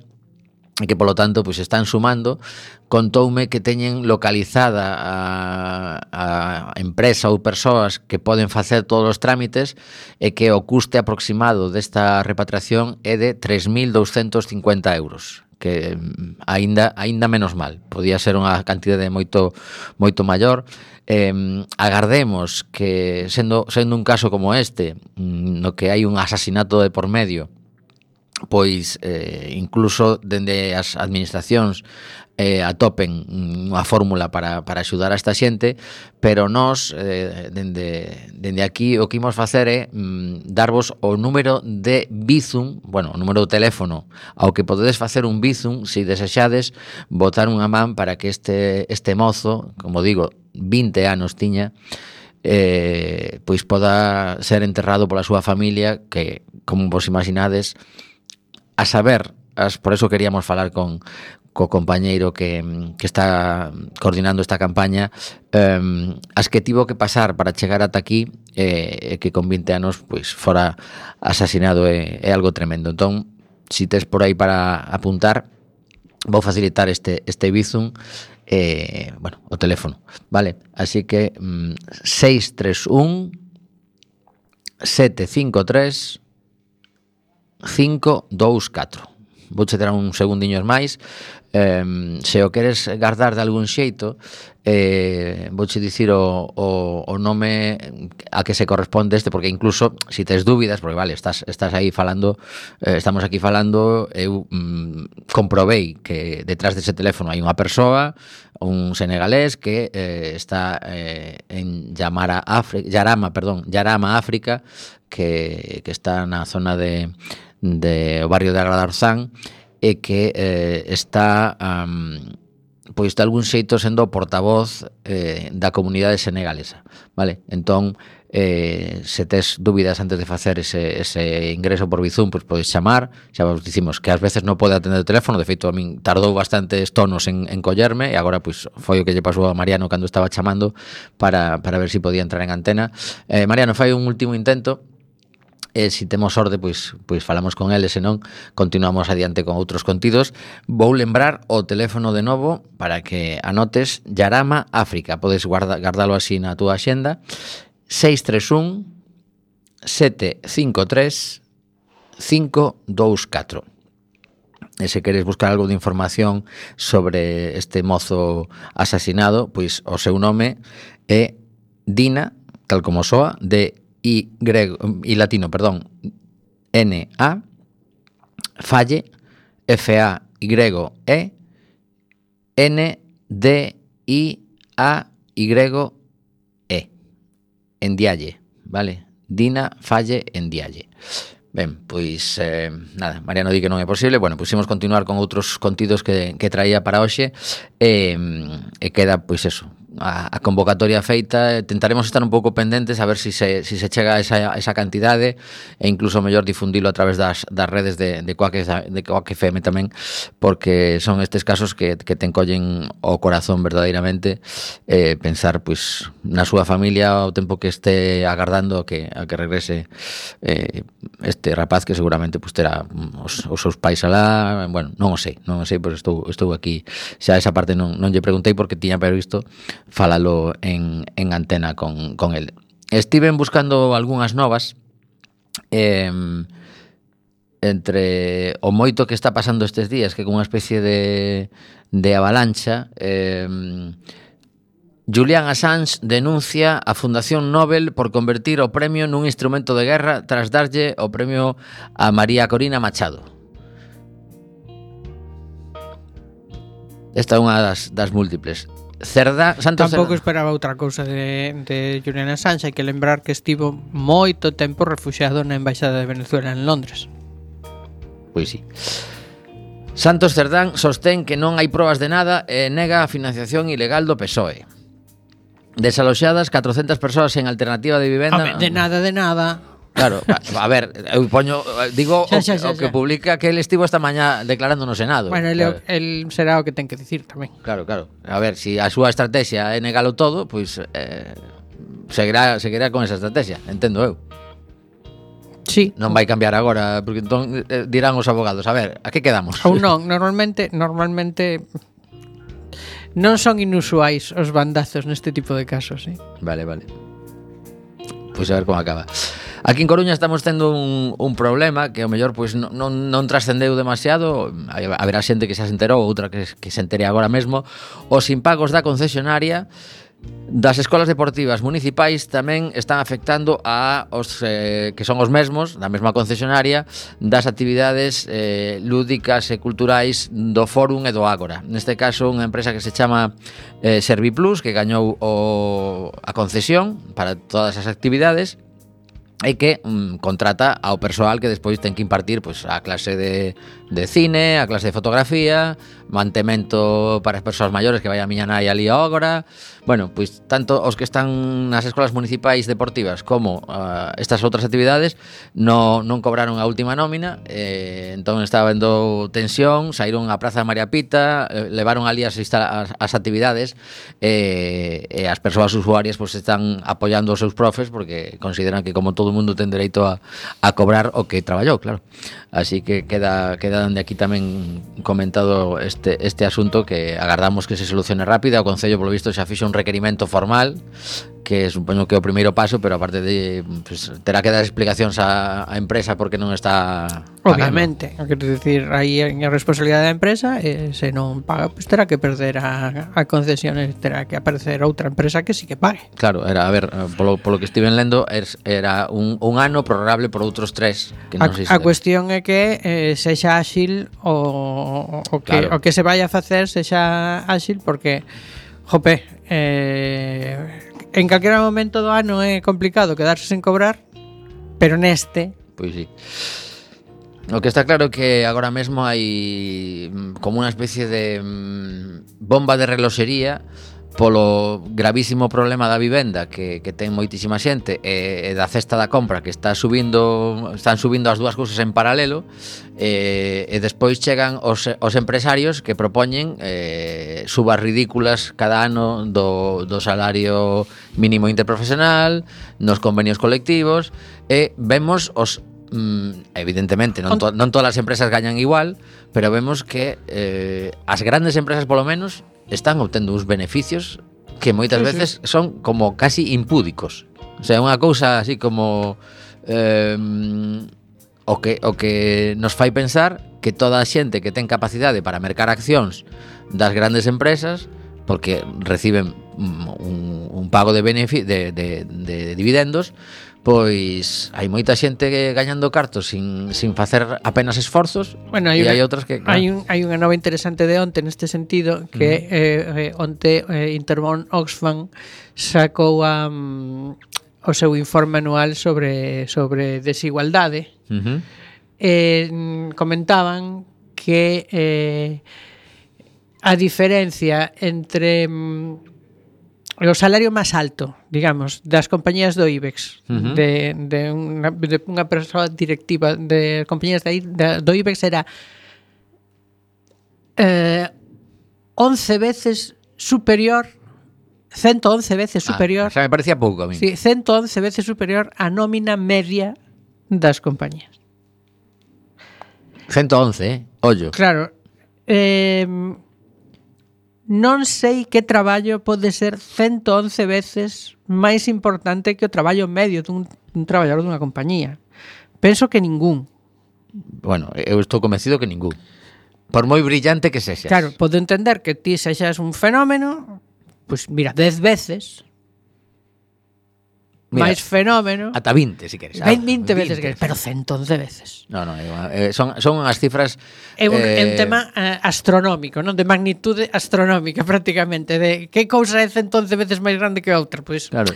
e que polo tanto pois están sumando. Contoume que teñen localizada a, a empresa ou persoas que poden facer todos os trámites e que o custe aproximado desta repatriación é de tres mil douscentos cincuenta euros, que aínda aínda menos mal, podía ser unha cantidade moito moito maior. Eh, agardemos que sendo sendo un caso como este, no que hai un asasinato de por medio, pois eh, incluso dende as administracións eh, atopen unha fórmula para, para axudar a esta xente, pero nós eh, dende, dende aquí o que imos facer é mm, darvos o número de Bizum, bueno, o número de teléfono ao que podedes facer un Bizum se desexades botar unha man para que este, este mozo, como digo, vinte anos tiña, eh, pois poda ser enterrado pola súa familia, que, como vos imaginades, a saber, as, por eso queríamos falar con co compañeiro que, que está coordinando esta campaña, eh, as que tivo que pasar para chegar ata aquí, eh, que con vinte anos pois fora asasinado é, é algo tremendo. Entón, si tes por aí para apuntar, vou facilitar este, este Bizum, eh, bueno, o teléfono, vale? Así que mm, seis tres un sete cinco tres cinco dous catro. Vou che ter un segundiños máis. eh, Se o queres guardar de algún xeito, eh, vou che dicir o, o, o nome a que se corresponde este, porque incluso si tes dúbidas, porque vale, estás, estás aí falando, eh, estamos aquí falando, eu mm, comprobei que detrás dese teléfono hai unha persoa, un senegalés que eh, está eh, en Yamara, África, Yarama, perdón, Yarama, África, que, que está na zona de de o barrio de Agradarzán e que eh, está um, pois de algún xeito sendo o portavoz eh, da comunidade senegalesa, vale? Entón, eh, se tes dúbidas antes de facer ese, ese ingreso por Bizum, pois podes chamar. Xa vos dicimos que ás veces non pode atender o teléfono, de feito a min tardou bastantes tonos en, en collerme, e agora pois foi o que lle pasou a Mariano cando estaba chamando para, para ver se si podía entrar en antena. eh, Mariano, fai un último intento. E se temos sorte, pois, pois falamos con ele, senón continuamos adiante con outros contidos. Vou lembrar o teléfono de novo para que anotes: Yarama, África. Podes guarda, guardalo así na túa axenda: seis tres un sete cinco tres cinco dous catro. E se queres buscar algo de información sobre este mozo asasinado, pois o seu nome é Dina, tal como soa, de Y, y latino, perdón, N A, Falle, F A Y E, N D I A Y E, Ndiaye, vale? Dina Falle Ndiaye. Ben, pois, eh, nada, Mariano di que non é posible. Bueno, pois imos continuar con outros contidos que, que traía para hoxe, e, e queda, pois eso, a, a convocatoria feita. Tentaremos estar un pouco pendentes a ver si se, si se chega a esa, a esa cantidade, e incluso mellor difundilo a través das, das redes de, de Quack de Quack F M tamén, porque son estes casos que, que te encollen o corazón verdadeiramente. Eh, pensar pois na súa familia ao tempo que este agardando a que, a que regrese eh, este rapaz, que seguramente pois terá os, os seus pais alá. Bueno, non o sei, non o sei, pois estou, estou aquí. Xa esa parte non, non lle preguntei, porque tiña previsto falalo en, en antena con, con el. Estiven buscando algunhas novas, eh, entre o moito que está pasando estes días, que con unha especie de, de avalancha. eh, Julian Assange denuncia a Fundación Nobel por convertir o premio nun instrumento de guerra tras darlle o premio a María Corina Machado. Esta é unha das, das múltiples. Cerda, Santos Tampouco Cerda. esperaba outra cousa de, de Julian Assange. Hai que lembrar que estivo moito tempo refuxiado na Embaixada de Venezuela en Londres. Pois sí. Santos Cerdán sostén que non hai probas de nada e nega a financiación ilegal do P S O E. Desaloxadas catrocentas persoas en alternativa de vivenda. Home, de nada, de nada. Claro, a, a ver, eu poño, digo xa, o, xa, xa, o que xa. publica que el estivo esta mañá declarando no Senado. Bueno, el, claro. el será o que ten que dicir tamén. Claro, claro. A ver, si a súa estrategia é negalo todo, pois eh, seguirá, seguirá con esa estrategia, entendo eu. Sí. Non vai cambiar agora, porque entón eh, dirán os abogados, a ver, a que quedamos? Ou non, normalmente, normalmente non son inusuais os bandazos neste tipo de casos, ¿sí? Vale, vale. Pois a ver como acaba. Aquí en Coruña estamos tendo un, un problema que ao mellor pois non, non, non trascendeu demasiado. Haberá xente que xa se enterou, outra que, que se entere agora mesmo. Os impagos da concesionaria das escolas deportivas municipais tamén están afectando a os eh, que son os mesmos, da mesma concesionaria, das actividades eh, lúdicas e culturais do Fórum e do Ágora. Neste caso, unha empresa que se chama eh, Serviplus, que gañou o, a concesión para todas as actividades, e que mm, contrata ao persoal que despois ten que impartir pois, a clase de, de cine, a clase de fotografía, mantemento para as persoas maiores que vai a miña nai ali agora. Bueno, pois tanto os que están nas escolas municipais deportivas como uh, estas outras actividades no, non cobraron a última nómina, eh, entón estaba vendo tensión, saíron á Praza de María Pita, eh, levaron ali as, as, as actividades eh, e as persoas usuarias pois, están apoiando os seus profes porque consideran que como todo o mundo ten dereito a, a cobrar o que traballou, claro. Así que queda, queda de aquí tamén comentado este, este asunto que agardamos que se solucione rápido. O Concello, polo visto, xa fixo un requerimento formal que supoño que é o primeiro paso, pero aparte de pues, terá que dar explicacións á, á empresa porque non está pagando. Obviamente, quero dicir, aí a responsabilidade da empresa e se non paga, pues terá que perder a, a concesión e terá que aparecer outra empresa que sí que pague. Claro, era, a ver, polo, polo que estiven lendo era un, un ano prorrogable por outros tres que non a, sei a cuestión é que eh, sexa áxil o, o, que, claro. o que se vai a facer sexa áxil porque jope, eh, en calquera momento do ano é complicado quedarse sen cobrar, pero neste pois sí. O que está claro é que agora mesmo hai como unha especie de bomba de reloxería polo gravísimo problema da vivenda que, que ten moitísima xente e, e da cesta da compra que está subindo, están subindo as dúas cousas en paralelo e, e despois chegan os, os empresarios que propoñen eh, subas ridículas cada ano do, do salario mínimo interprofesional, nos convenios colectivos e vemos os mm, evidentemente non, to, non todas as empresas gañan igual, pero vemos que eh, as grandes empresas polo menos están obtendo uns beneficios que moitas sí, veces sí. son como casi impúdicos. O sea, unha cousa así como eh, o que o que nos fai pensar que toda a xente que ten capacidade para mercar accións das grandes empresas porque reciben un, un pago de, benefic- de, de, de dividendos, pois hai moita xente gañando cartos sin, sin facer apenas esforzos. Bueno, hai e una, hai outras que claro. hai, un, hai unha nova interesante de onte neste sentido que uh-huh. eh, eh, onte eh, Intermón Oxfam sacou a, um, o seu informe anual sobre, sobre desigualdade. Uh-huh. eh, comentaban que eh, a diferencia entre um, o salario máis alto, digamos, das compañías do IBEX, uh-huh. de, de, unha, de unha persoa directiva de compañías de, de, do IBEX era eh, once veces superior, ciento once veces superior. Ah, xa me parecía pouco a mí. Sí, ciento once veces superior á nómina media das compañías. ciento once, eh? Ollo. Claro. Eh, non sei que traballo pode ser ciento once veces máis importante que o traballo medio dun, dun traballador dunha compañía. Penso que ningún. Bueno, eu estou convencido que ningún. Por moi brillante que sexas. Claro, podo entender que ti sexas un fenómeno, pois pues mira, dez veces Mira, máis fenómeno. Ata vinte, si queres. vinte veces, que pero ciento once veces. No, no, eh, son, son as cifras... É un, eh, é un tema eh, astronómico, non? De magnitude astronómica, prácticamente. De que cousa é ciento once veces máis grande que outra? Pois claro.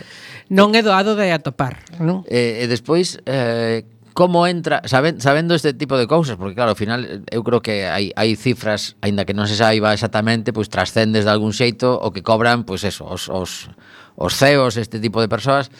Non é doado de atopar, non? Eh, e despois... Eh, como entra, saben, sabendo este tipo de cousas, porque claro, ao final eu creo que hai, hai cifras, aínda que non se saiba exactamente, pois trascendes de algún xeito o que cobran, pois eso, os, os, os C E Os, este tipo de persoas.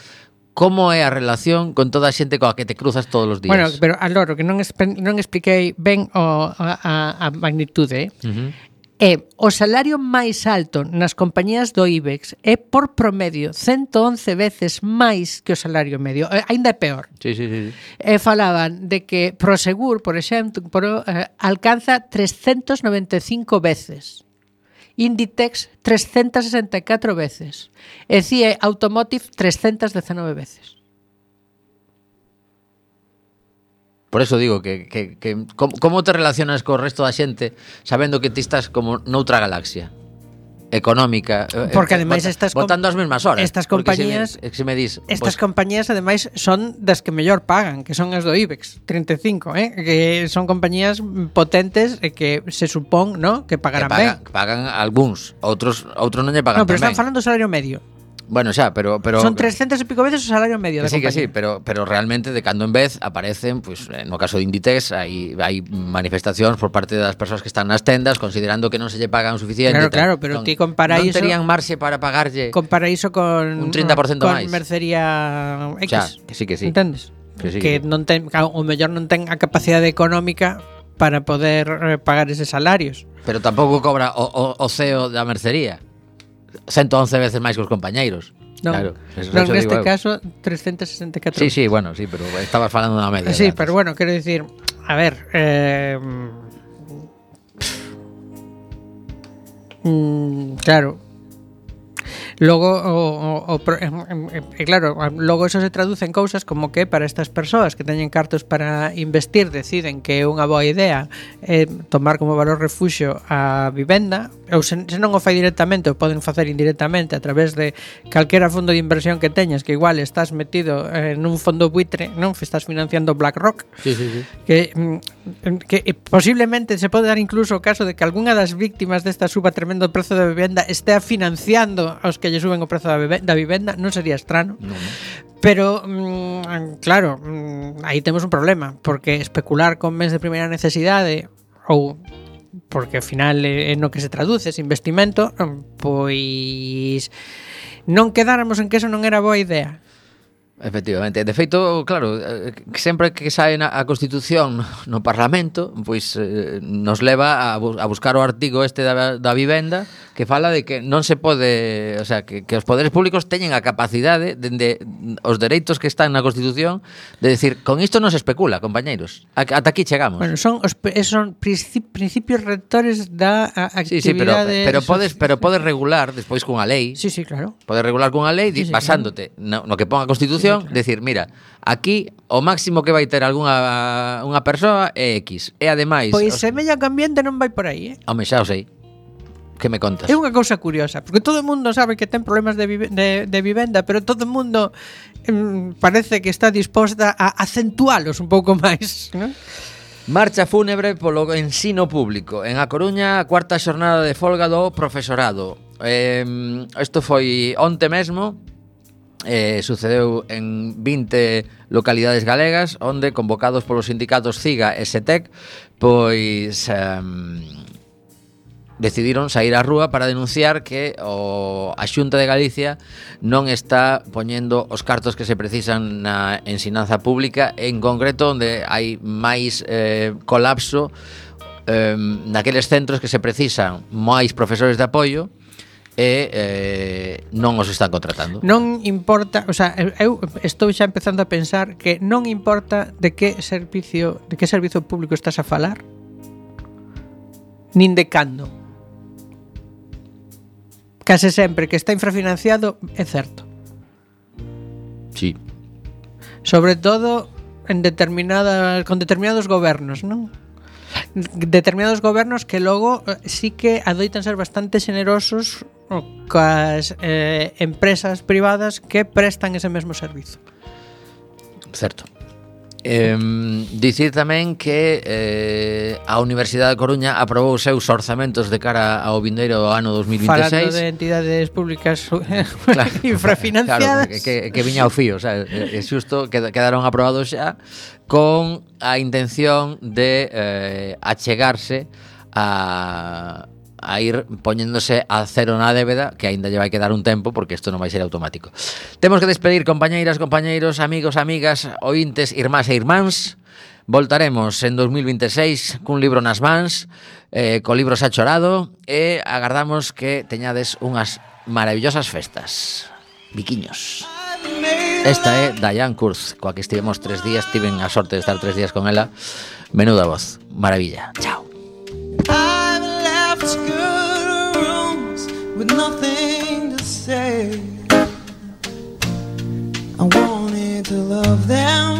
Como é a relación con toda a xente coa que te cruzas todos os días? Bueno, pero aloro, que non, espe- non expliquei ben o, a, a, a magnitude, eh? Uh-huh. É o salario máis alto nas compañías do IBEX é por promedio ciento once veces máis que o salario medio. Eh, ainda é peor. Sí, sí, sí. E falaban de que Prosegur, por exemplo, por, eh, alcanza trescientas noventa e cinco veces. Inditex trescientas sesenta e catro veces. E C I E Automotive trescientas dezenove veces. Por eso digo que, que, que como, como te relacionas co resto da xente sabendo que ti estás como noutra galaxia económica, porque eh, ademais bota, estas botando as mesmas horas. Estas compañías, se me, se me dis, estas pues, compañías ademais son das que mellor pagan, que son as do IBEX treinta e cinco, eh, que son compañías potentes e que se supón, ¿no?, que pagarán que pagan, ben. que pagan algúns, outros outros non lle pagan. No, pero tamén. están falando do salario medio. Bueno, xa, pero, pero son trescientas e pico veces o salario medio que da sí, compañía. que sí, pero, pero realmente de cando en vez aparecen, pues, no caso de Inditex hai, hai manifestacións por parte das persoas que están nas tendas considerando que non se lle pagan suficiente. Claro, claro, pero non, ti compara non iso, terían marxe para pagarlle compara iso con un treinta por ciento con máis. Mercería X. Xa, que sí, que sí. Entendes? Que sí, que que non ten, o mellor non ten a capacidade económica para poder eh, pagar eses salarios. Pero tampouco cobra o, o, o C E O da mercería ciento once veces máis que os compañeiros. Non, claro, non neste caso trescientas sesenta e catro. Sí, sí, bueno, sí, pero estabas falando da media. Sí, pero bueno, quero dicir, a ver, eh, mm, claro. Logo o, o, o e claro, logo eso se traduce en cousas como que para estas persoas que teñen cartos para investir deciden que é unha boa idea eh, tomar como valor refuxio a vivenda, ou se, se non o fai directamente o poden facer indirectamente a través de calquera fondo de inversión que teñas, que igual estás metido eh, nun fondo buitre, non estás financiando BlackRock. Sí, sí, sí. Que, que posiblemente se pode dar incluso o caso de que algunha das víctimas desta suba tremendo do prezo da vivenda estea financiando aos que lle suben o prezo da vivenda, non sería estrano. No, no. Pero, mmm, claro, mmm, aí temos un problema, porque especular con bens de primeira necesidade ou porque ao final é no que se traduce ese investimento, pois non quedáramos en que eso non era boa idea. Efectivamente, de feito, claro, sempre que sae na, a Constitución no Parlamento, pois eh, nos leva a, bu- a buscar o artigo este da, da vivenda que fala de que non se pode, o sea, que, que os poderes públicos teñen a capacidade dende de, os dereitos que están na Constitución de decir, con isto non se especula, compañeiros. A, ata aquí chegamos. Bueno, son os esos son principi, principios rectores da a, Sí, sí, pero, actividade pero podes pero podes regular despois cunha lei. Sí, sí, claro. Podes regular cunha lei Sí, sí, basándote no, no que pon a Constitución, sí, claro. Decir, mira, aquí o máximo que vai ter algunha unha persoa é X. E ademais, pois os... se medio ambiente non vai por aí, eh? Home, xa o sei. Que me contas? É unha cousa curiosa, porque todo o mundo sabe que ten problemas de, vive, de, de vivenda, pero todo o mundo mm, parece que está disposta a acentualos un pouco máis, ¿no? Marcha fúnebre polo ensino público. En A Coruña, a cuarta xornada de folga do profesorado. Eh, isto foi onte mesmo. Eh, sucedeu en vinte localidades galegas, onde convocados polos sindicatos CIGA e SETEC, pois um, decidiron sair á rúa para denunciar que o, a Xunta de Galicia non está poñendo os cartos que se precisan na ensinanza pública, en concreto onde hai máis eh, colapso eh, naqueles centros que se precisan máis profesores de apoio e eh, non os están contratando. Non importa, o sea, eu estou xa empezando a pensar que non importa de que servicio, de que servizo público estás a falar, nin de cando. Case sempre que está infrafinanciado é certo. Sí. Sobre todo en determinadas con determinados gobernos, non? Determinados gobernos que logo sí que adoitan ser bastante xenerosos coas eh, empresas privadas que prestan ese mesmo servizo. Certo. Eh, dicir tamén que eh, a Universidade de Coruña aprobou os seus orzamentos de cara ao vindeiro ano dos mil veintiséis. Falando de entidades públicas claro, infrafinanciadas. Claro, que, que viña ao fío, o sea, é xusto que quedaron aprobados xa con a intención de eh, achegarse a a ir poñéndose a cero na débeda, que aínda lle vai quedar un tempo porque isto non vai ser automático. Temos que despedir, compañeiras, compañeiros, amigos, amigas, ointes, irmás e irmáns. Voltaremos en dos mil veintiséis cun libro nas mans, eh, co libro xa chorado, e agardamos que teñades unhas maravillosas festas. Biquiños. Esta é Diane Kurz, coa que estivemos tres días, tiven a sorte de estar tres días con ela. Menuda voz, maravilla. Chao. Good rooms with nothing to say. I wanted to love them